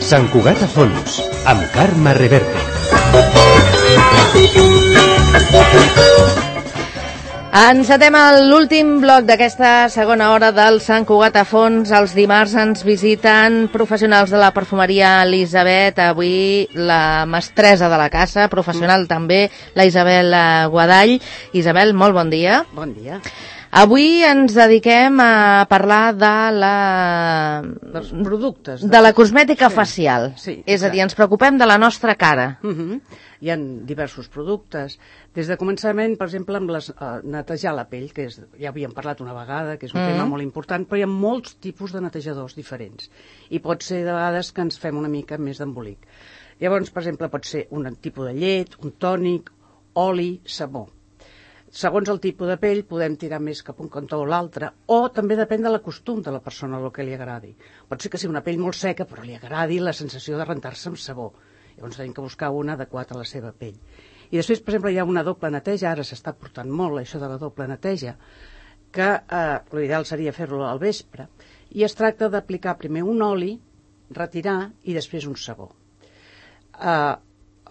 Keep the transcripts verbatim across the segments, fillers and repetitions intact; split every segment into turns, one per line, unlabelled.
Sant Cugat a fons, amb Carme Reverte.
Encetem l'últim bloc d'aquesta segona hora del Sant Cugat a fons. Els dimarts ens visiten professionals de la perfumeria Elisabet, avui la mestressa de la casa, professional també, la Isabel Guadall. Isabel, molt bon dia.
Bon dia.
Avui ens dediquem a parlar de la...
dels productes.
De, de la cosmètica sí. facial.
Sí,
és a dir, ens preocupem de la nostra cara.
Uh -huh. Hi ha diversos productes. Des de començament, per exemple, amb les, uh, netejar la pell, que és, ja havíem parlat una vegada, que és un uh -huh. tema molt important, però hi ha molts tipus de netejadors diferents. I pot ser de vegades que ens fem una mica més d'embolic. Llavors, per exemple, pot ser un tipus de llet, un tònic, oli, sabó. Segons el tipus de pell podem tirar més cap un cantó o l'altre, o també depèn de la costum de la persona, el que li agradi. Pot ser que sigui una pell molt seca, però li agradi la sensació de rentar-se amb sabó. Llavors tenim que buscar una adequada a la seva pell. I després, per exemple, hi ha una doble neteja, ara s'està portant molt això de la doble neteja, que eh, l'ideal seria fer-lo al vespre, i es tracta d'aplicar primer un oli, retirar, i després un sabó. Eh...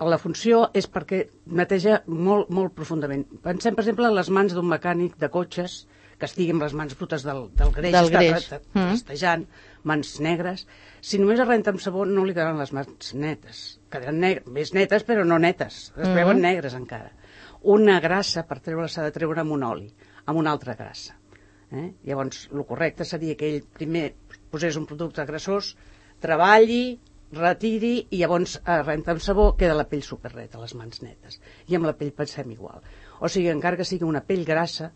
La funció és perquè neteja molt, molt profundament. Pensem, per exemple, en les mans d'un mecànic de cotxes que estigui amb les mans brutes del, del greix,
del greix.
Està rastejant, mm. mans negres. Si només es renta amb sabó no li quedaran les mans netes. Quedaran negres, més netes però no netes. Es mm. veuen negres encara. Una grassa, per treure-la, s'ha de treure amb un oli, amb una altra grassa. Eh? Llavors, el correcte seria que ell primer posés un producte grassós, treballi, retiri i llavors eh, renta amb sabó, queda la pell superreta, les mans netes. I amb la pell pensem igual. O sigui, encara que sigui una pell grassa,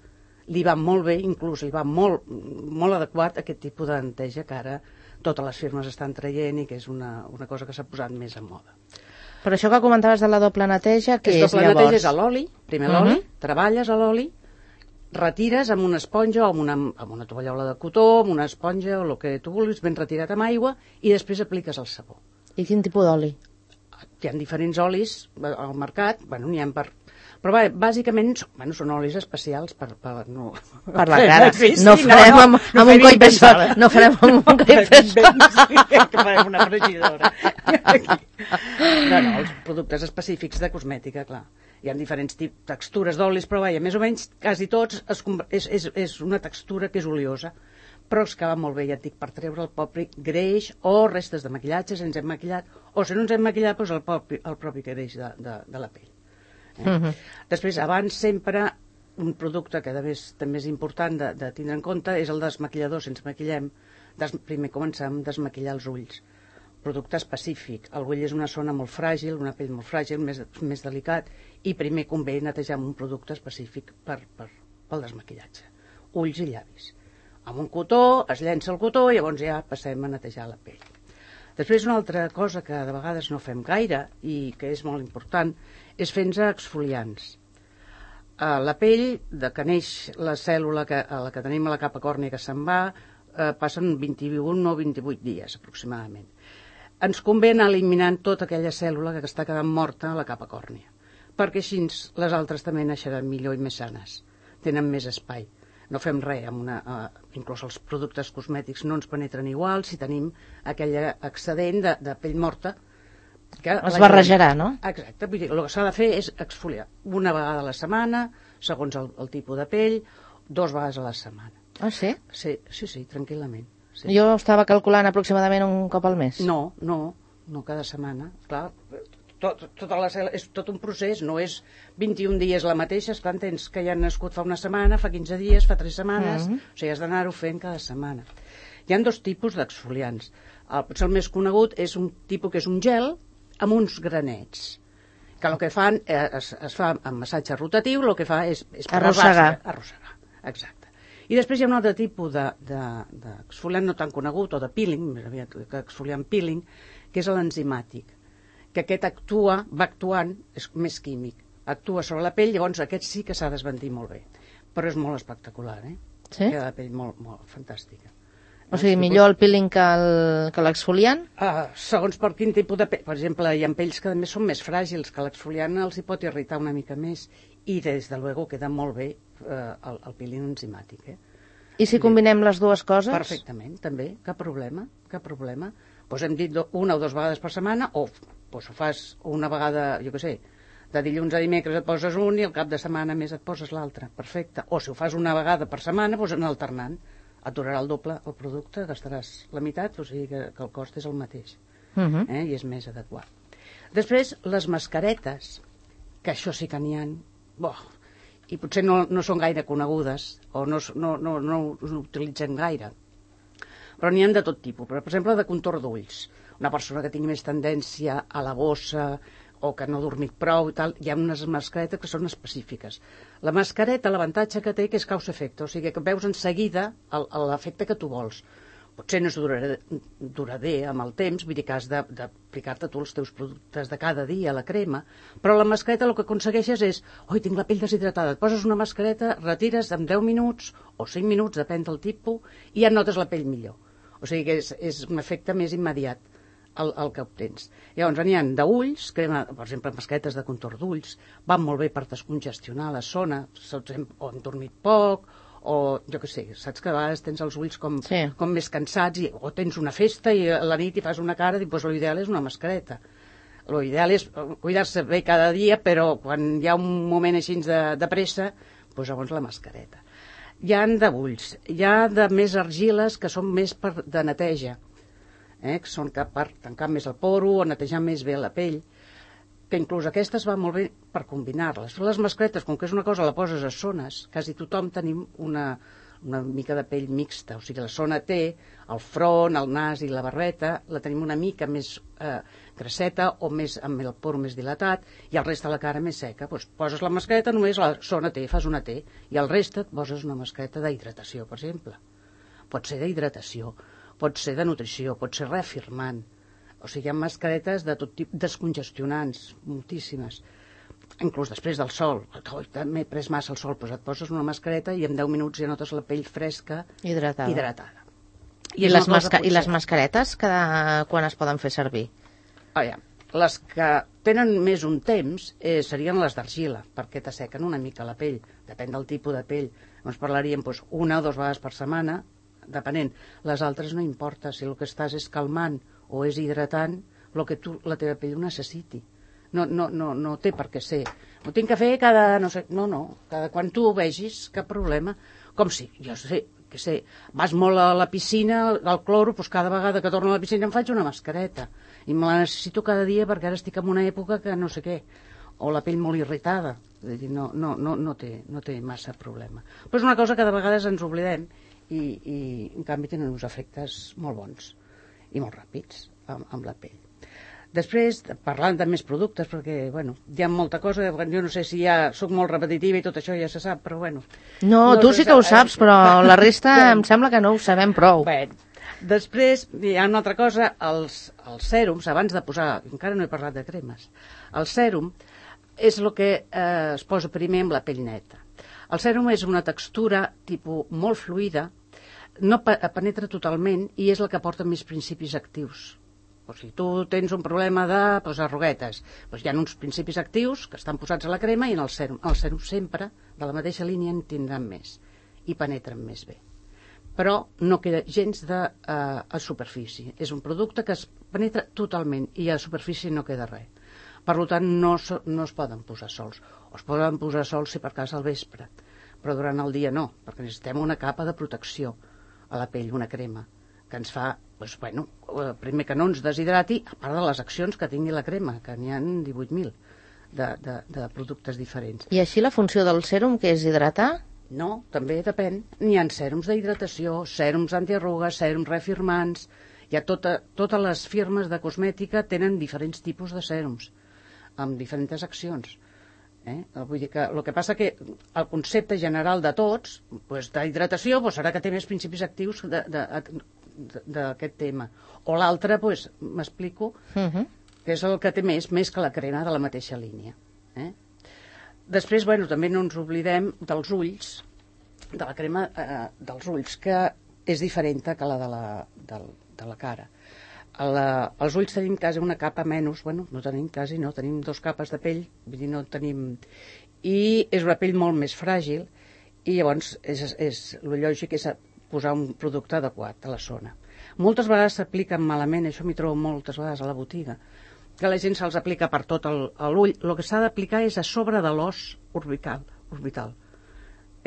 li va molt bé, inclús li va molt, molt adequat aquest tipus de neteja que ara totes les firmes estan traient i que és una, una cosa que s'ha posat més en moda.
Però això que comentaves de la doble neteja, què és, és
doble
llavors?
Neteja és a l'oli, primer l'oli, uh -huh. treballes a l'oli, retires amb una esponja o amb una, amb una tovallola de cotó, amb una esponja o el que tu vulguis, ben retirat amb aigua, i després apliques el sabó.
I quin tipus d'oli?
Hi ha diferents olis al mercat, bueno, n'hi ha per... Però va, bàsicament bueno, són olis especials per, per, no,
per la cara. Difícil, no farem no, no, amb, no amb un coll més fort. No farem amb un coll més fort.
Que farem una fregidora. No, no, els productes específics de cosmètica, clar. Hi ha diferents tipus, textures d'olis, però vaja, més o menys quasi tots es, és, és, és una textura que és oliosa, però es que va molt bé, ja et dic, per treure el propi greix o restes de maquillatge, si ens hem maquillat, o si no ens hem maquillat, doncs el propi, el propi greix de, de, de la pell. Eh? Uh -huh. Després, abans sempre, un producte que més, també és important de, de tindre en compte és el desmaquillador, si ens maquillem, des, primer comencem a desmaquillar els ulls. Producte específic. El ull és una zona molt fràgil, una pell molt fràgil, més, més delicat, i primer convé netejar amb un producte específic per, per, pel desmaquillatge. Ulls i llavis. Amb un cotó, es llença el cotó i llavors ja passem a netejar la pell. Després una altra cosa que de vegades no fem gaire i que és molt important és fer-nos exfoliants. Uh, la pell, de que neix la cèl·lula que, a la que tenim a la capa còrnia que se'n va, uh, passen vint-i-un o vint-i-vuit dies aproximadament. Ens convé anar eliminant tota aquella cèl·lula que està quedant morta a la capa còrnia, perquè així les altres també naixeran millor i més sanes, tenen més espai. No fem res, amb una, uh, inclús els productes cosmètics no ens penetren igual si tenim aquell excedent de, de pell morta.
Que es barrejarà, no?
Exacte, vull dir, el que s'ha de fer és exfoliar una vegada a la setmana, segons el, el tipus de pell, dos vegades a la setmana.
Ah, sí?
Sí, sí, sí, tranquil·lament. Sí.
Jo estava calculant aproximadament un cop al mes.
No, no, no cada setmana, clar. Tot, tota la, és tot un procés, no és vint-i-un dies la mateixa, esclar, entens que ja han nascut fa una setmana, fa quinze dies, fa tres setmanes, mm -hmm. O sigui, has d'anar-ho fent cada setmana. Hi ha dos tipus d'exfoliants. El, potser el més conegut és un tipus que és un gel amb uns granets, que el que fan, eh, es, es fa amb massatge rotatiu, el que fa és... és
arrossegar.
Arrossegar, exacte. I després hi ha un altre tipus d'exfoliant de, de, no tan conegut, o de peeling, més aviat que exfoliant peeling, que és l'enzimàtic, que aquest actua, va actuant, és més químic, actua sobre la pell, llavors aquest sí que s'ha d'esbandir molt bé, però és molt espectacular, eh?
Sí?
Queda la pell molt, molt fantàstica.
O sigui, millor el peeling que el- que l'exfoliant?
Uh, segons per quin tipus de pell. Per exemple, hi ha pells que també són més fràgils, que l'exfoliant els hi pot irritar una mica més. I, des de luego, queda molt bé uh, el, el peeling enzimàtic. Eh?
I si combinem les dues coses?
Perfectament, també, cap problema, cap problema. Pues hem dit do, una o dues vegades per setmana, o pues, ho fas una vegada, jo què sé, de dilluns a dimecres et poses un i al cap de setmana més et poses l'altre. Perfecte. O si ho fas una vegada per setmana, doncs anar alternant. Et durarà el doble el producte, gastaràs la meitat, o sigui que, que el cost és el mateix.
Uh -huh.
eh? I és més adequat. Després, les mascaretes, que això sí que n'hi ha, boh, i potser no, no són gaire conegudes, o no, no, no, no us utilitzem gaire, però n'hi ha de tot tipus. Per exemple, de contorn d'ulls. Una persona que tingui més tendència a la bossa, o que no ha dormit prou i tal, hi ha unes mascaretes que són específiques. La mascareta, l'avantatge que té que és causa-efecte, o sigui que veus en seguida el- l'efecte que tu vols. Potser no és durador, durador amb el temps, vull dir que has de- d'aplicar-te tu els teus productes de cada dia, la crema, però la mascareta el que aconsegueixes és, oi, tinc la pell deshidratada, et poses una mascareta, retires en deu minuts o cinc minuts, depèn del tipus, i ja notes la pell millor. O sigui que és, és un efecte més immediat el, el que obtens. Llavors, n'hi ha d'ulls, crema, per exemple, mascaretes de contorn d'ulls, van molt bé per descongestionar la zona, saps, hem, o hem dormit poc, o jo què sé, saps que a vegades tens els ulls com,
Sí.
com més cansats, i, o tens una festa i a la nit hi fas una cara, doncs l'ideal és una mascareta. L'ideal és cuidar-se bé cada dia, però quan hi ha un moment així de, de pressa, doncs llavors la mascareta. Hi ha d'ulls, hi ha de més argiles que són més per, de neteja, eh, que són que per tancar més el poro o netejar més bé la pell, que inclús aquestes va molt bé per combinar-les. Les mascaretes, com que és una cosa, la poses a zones, quasi tothom tenim una, una mica de pell mixta, o sigui, la zona té el front, el nas i la barbeta, la tenim una mica més eh, grasseta o més amb el poro més dilatat, i el reste de la cara més seca. Doncs poses la mascareta, només la zona T, fas una T, i el reste et poses una mascareta d'hidratació, per exemple. Pot ser d'hidratació, pot ser de nutrició, pot ser reafirmant. O sigui, hi ha mascaretes de tot tipus, descongestionants, moltíssimes. Inclús després del sol. Oh, m'he pres massa el sol, doncs et poses una mascareta i en deu minuts ja notes la pell fresca,
Hidratada.
hidratada.
I,
és
les,
una cosa
masca I les
potser-
mascaretes, cada... quan es poden fer servir?
Ah, ja. Les que tenen més un temps eh, serien les d'argila, perquè t'assequen una mica la pell, depèn del tipus de pell. Llavors parlaríem doncs, una o dues vegades per setmana, depenent. Les altres no importa, si el que estàs és calmant o és hidratant, el que tu, la teva pell ho necessiti. No, no, no, no té per què ser. Ho tinc que fer cada, no sé, no, no, cada quan tu ho vegis, cap problema. Com si, jo sé, que sé, vas molt a la piscina, al cloro, doncs cada vegada que torno a la piscina em faig una mascareta. I me la necessito cada dia perquè ara estic en una època que no sé què. O la pell molt irritada. Vull dir, no, no, no, no, té, no té massa problema. Però és una cosa que de vegades ens oblidem i, i en canvi tenen uns efectes molt bons i molt ràpids amb, amb la pell. Després, parlant de més productes, perquè, bueno, hi ha molta cosa, jo no sé si ja soc molt repetitiva i tot això ja se sap, però bueno.
No,
no
tu
se
sí que ho
sap,
saps,
eh?
però la resta em sembla que no ho sabem prou.
Bé, després hi ha una altra cosa, els, els sèrums, abans de posar, encara no he parlat de cremes, el sèrum és el que eh, es posa primer amb la pell neta. El sèrum és una textura tipus molt fluida, no penetra totalment i és la que porta més principis actius. O si tu tens un problema de pues, arruguetes, doncs hi ha uns principis actius que estan posats a la crema i en el sèrum. El sèrum sempre, de la mateixa línia, en tindran més i penetren més bé. Però no queda gens de, uh, a superfície. És un producte que es penetra totalment i a superfície no queda res. Per tant, no, so, no es poden posar sols. O es poden posar sols si per cas al vespre, però durant el dia no, perquè necessitem una capa de protecció a la pell, una crema, que ens fa, doncs, bueno, primer que no ens deshidrati, a part de les accions que tingui la crema, que n'hi ha divuit mil de, de, de productes diferents.
I així la funció del sèrum, que és hidratar?
No, també depèn. N'hi ha sèrums d'hidratació, sèrums antiarrugues, sèrums reafirmants. Hi ha tota, totes les firmes de cosmètica tenen diferents tipus de sèrums, amb diferents accions. Eh? Vull dir que el que passa que el concepte general de tots, pues, d'hidratació, pues, serà que té més principis actius d'aquest tema. O l'altre, pues, m'explico,
Uh -huh.
que és el que té més, més que la crema de la mateixa línia. Eh? Després, bueno, també no ens oblidem dels ulls, de la crema eh, dels ulls, que és diferent que la de la, de, de la cara. La, els ulls tenim quasi una capa menys, bueno, no tenim quasi, no, tenim dos capes de pell, vull dir, no tenim... I és una pell molt més fràgil i llavors és, és, el lògic és posar un producte adequat a la zona. Moltes vegades s'apliquen malament, això m'hi trobo moltes vegades a la botiga, que la gent se'ls aplica per tot l'ull. El que s'ha d'aplicar és a sobre de l'os orbital. orbital.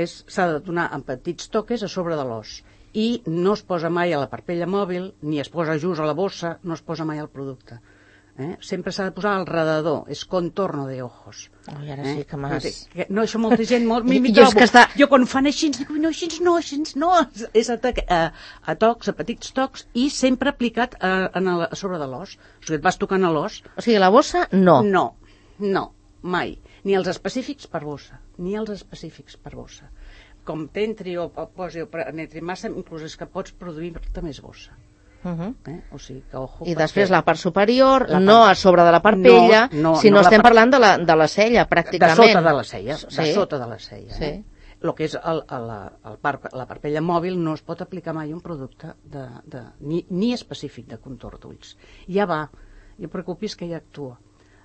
S'ha de donar en petits toques a sobre de l'os. I no es posa mai a la parpella mòbil, ni es posa just a la bossa, no es posa mai al producte. Eh? Sempre s'ha de posar al redador, és contorno de ojos.
Oh, I ara
eh?
sí que m'has...
No, això molta gent... Molt,
jo,
jo,
és que està...
jo quan fan així, dic, no, així no, així no. És a, a, a tocs, a petits tocs, i sempre aplicat a, a, a sobre de l'os. O sigui, et vas tocant a l'os.
O sigui, la bossa, no.
No, no, mai. Ni els específics per bossa, ni els específics per bossa. Com t'entri o posi o penetri massa, inclús és que pots produir-te més bossa.
Uh -huh.
eh? O sigui, que ojo...
I després la part superior,
la part...
no a sobre de la parpella,
no, no,
sinó
no
estem
part...
parlant de la, de la cella, pràcticament.
De sota de la cella, de
sí.
sota de la cella.
Sí.
Eh? El que és el, el, el par, la parpella mòbil no es pot aplicar mai un producte de, de, ni, ni específic de contorn d'ulls. Ja va, no preocupis que ja actua.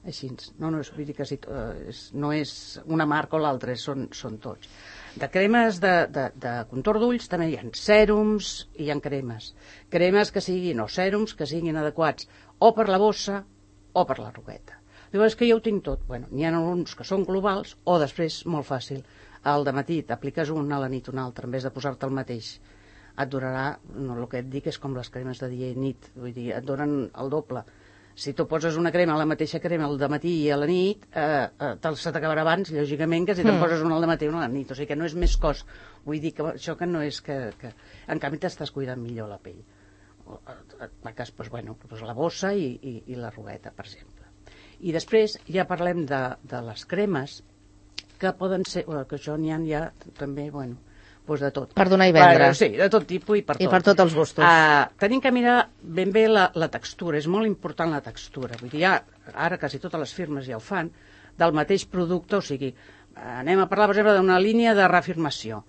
Així, no, no, és, vull dir que si, uh, és, no és una marca o l'altra, són, són tots. De cremes de, de, de contorn d'ulls també hi ha sèrums i hi ha cremes. Cremes que siguin, o sèrums que siguin adequats o per la bossa o per la rugueta. Diu, és que jo ho tinc tot. Bueno, n'hi ha uns que són globals o després, molt fàcil, al dematí t'apliques un, a la nit un altre, en vez de posar-te el mateix. Et durarà, no, el que et dic és com les cremes de dia i nit, vull dir, et donen el doble. Si tu poses una crema, la mateixa crema al dematí i a la nit, eh, eh, se t'acabarà abans, lògicament, que si te'n mm. poses una al dematí i una a la nit. O sigui que no és més cost. Vull dir que això que no és que... que... En canvi, t'estàs cuidant millor la pell. En cas, doncs, bueno, doncs la bossa i, i, i la rugueta, per exemple. I després ja parlem de, de les cremes, que poden ser... Bueno, que això n'hi ha ja també, bueno... Doncs de tot.
Per donar i vendre.
Sí, de tot tipus i per tot.
I per tots els gustos.
Uh, tenim que mirar ben bé la, la textura, és molt important la textura. Vull dir, ja, ara quasi totes les firmes ja ho fan, del mateix producte, o sigui, anem a parlar, per exemple, d'una línia de reafirmació.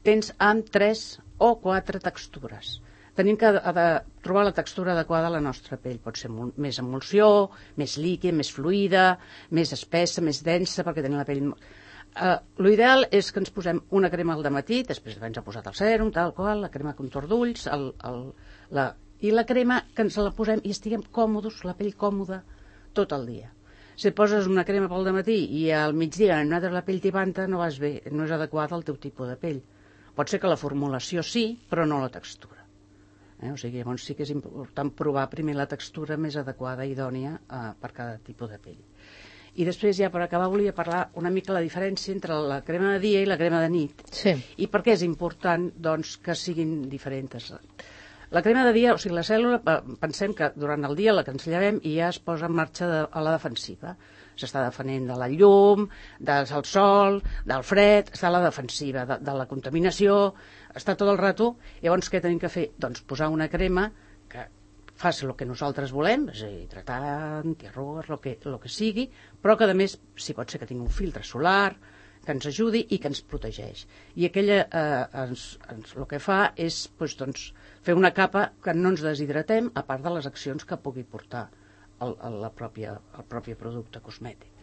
Tens amb tres o quatre textures. Tenim que de, de trobar la textura adequada a la nostra pell. Pot ser molt, més emulsió, més líquid, més fluida, més espessa, més densa, perquè tenim la pell... Uh, L'ideal és que ens posem una crema al dematí, després ens ha posat el sèrum, tal qual, la crema contorn d'ulls, el, el, la, i la crema que ens la posem i estiguem còmodes, la pell còmoda, tot el dia. Si et poses una crema pel dematí i al migdia nosaltres la pell tibanta, no vas bé, no és adequat al teu tipus de pell. Pot ser que la formulació sí, però no la textura. Eh? O sigui, llavors sí que és important provar primer la textura més adequada i idònia uh, per cada tipus de pell. I després, ja per acabar, volia parlar una mica la diferència entre la crema de dia i la crema de nit.
Sí.
I per què és important, doncs, que siguin diferents. La crema de dia, o sigui, la cèl·lula, pensem que durant el dia la que ens llevem i ja es posa en marxa de, a la defensiva. S'està defenent de la llum, del sol, del fred, està a la defensiva, de, de la contaminació, està tot el rato. Llavors, què tenim que fer? Doncs posar una crema que faci el que nosaltres volem, és a dir, hidratant, antiarrugues, el que, el que sigui, però que a més, si pot ser que tingui un filtre solar, que ens ajudi i que ens protegeix. I aquella, eh, ens, ens, el que fa és doncs, doncs, fer una capa que no ens deshidratem, a part de les accions que pugui portar el, el, la pròpia, el propi producte cosmètic.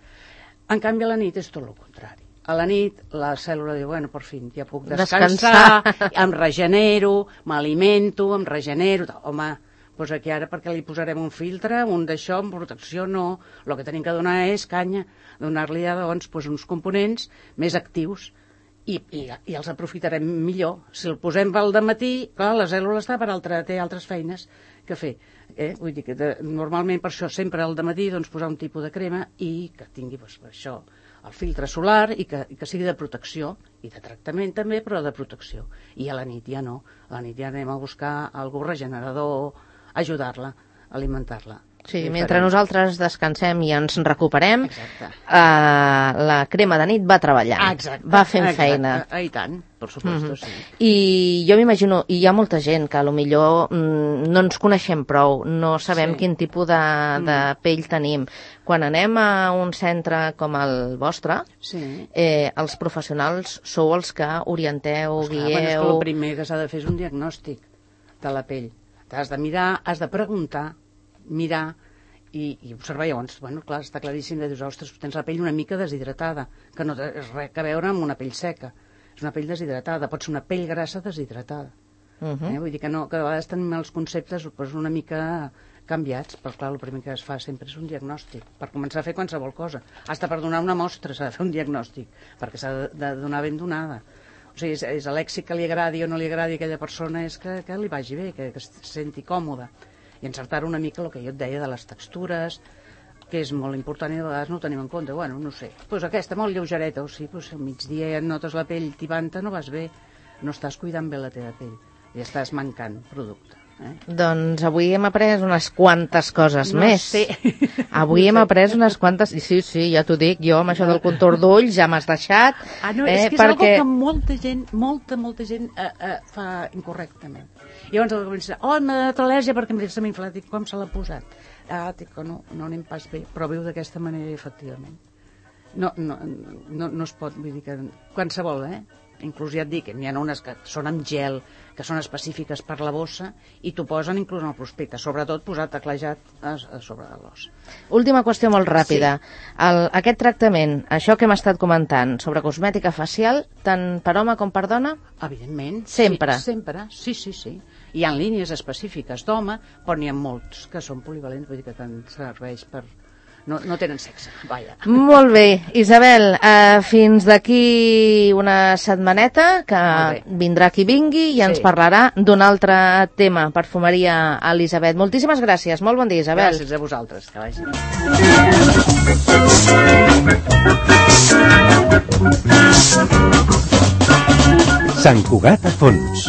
En canvi, a la nit és tot el contrari. A la nit la cèl·lula diu, bueno, per fi, ja puc descansar, descansar. Em regenero, m'alimento, em regenero... Home, doncs aquí ara perquè li posarem un filtre, un d'això, amb protecció, no. El que tenim que donar és canya, donar-li doncs, doncs, uns components més actius i, i, i els aprofitarem millor. Si el posem pel dematí, clar, la cèl·lula està per altra, té altres feines que fer. Eh? Vull dir que de, normalment per això sempre al dematí doncs, posar un tipus de crema i que tingui doncs, això, el filtre solar i que, i que sigui de protecció i de tractament també, però de protecció. I a la nit ja no. A la nit ja anem a buscar algú regenerador, ajudar-la, alimentar-la.
Sí, mentre nosaltres descansem i ens recuperem,
exacte.
Uh, la crema de nit va treballant,
exacte,
va fent
exacte.
feina.
Ah, I tant, per suposo, mm-hmm. sí.
I jo m'imagino, i hi ha molta gent que potser mm, no ens coneixem prou, no sabem sí. quin tipus de, de mm. pell tenim. Quan anem a un centre com el vostre, sí. eh, els professionals sou els que orienteu,
pues clar,
guieu...
Bueno, és que el primer que s'ha de fer és un diagnòstic. de la pell. T'has de mirar, has de preguntar, mirar i, i observar. Llavors, bueno, clar, està claríssim de dir, ostres, tens la pell una mica deshidratada, que no té res a veure amb una pell seca. És una pell deshidratada, pot ser una pell grassa deshidratada. Uh -huh. eh? Vull dir que, no, que a vegades tenim els conceptes pues, una mica canviats, però clar, el primer que es fa sempre és un diagnòstic, per començar a fer qualsevol cosa. Hasta per donar una mostra s'ha de fer un diagnòstic, perquè s'ha de, de donar ben donada. O sigui, és, és a l'èxit que li agradi o no li agradi a aquella persona, és que, que li vagi bé, que, que es senti còmode. I encertar una mica el que jo et deia de les textures, que és molt important i de vegades no ho tenim en compte. Bueno, no sé, doncs aquesta molt lleugereta, o sí, doncs al migdia ja et notes la pell tibanta, no vas bé, no estàs cuidant bé la teva pell, i estàs mancant producte. Eh?
Doncs avui hem après unes quantes coses
no
més.
Sé.
Avui
no
hem
sé.
après unes quantes... Sí, sí, ja t'ho dic, jo amb això del contorn d'ulls ja m'has deixat.
Ah, no,
eh,
és que és
perquè...
algo que molta gent, molta, molta gent eh, eh, fa incorrectament. I llavors el que pensa, oh, m'ha donat al·lèrgia perquè em s'ha inflat, i com se l'ha posat? Ah, dic que no, no anem pas bé, però viu d'aquesta manera, efectivament. No, no, no, no es pot, vull dir que qualsevol, eh? Inclús ja et dic, n'hi ha unes que són amb gel, que són específiques per la bossa, i t'ho posen inclús en el prospecte, sobretot posat teclejat a, a sobre de l'os.
Última qüestió molt ràpida. Sí. El, aquest tractament, això que hem estat comentant, sobre cosmètica facial, tant per home com per dona?
Evidentment.
Sempre?
Sí, sempre, sí, sí, sí. Hi ha línies específiques d'home, però n'hi ha molts que són polivalents, vull dir que tant serveix per... No, no tenen sexe, vaja.
Molt bé. Isabel, eh, fins d'aquí una setmaneta, que vindrà qui vingui i ens
Sí.
parlarà d'un altre tema, perfumeria Elisabet. Moltíssimes gràcies. Molt bon dia, Isabel.
Gràcies a vosaltres, que vagi.
Sant Cugat a fons.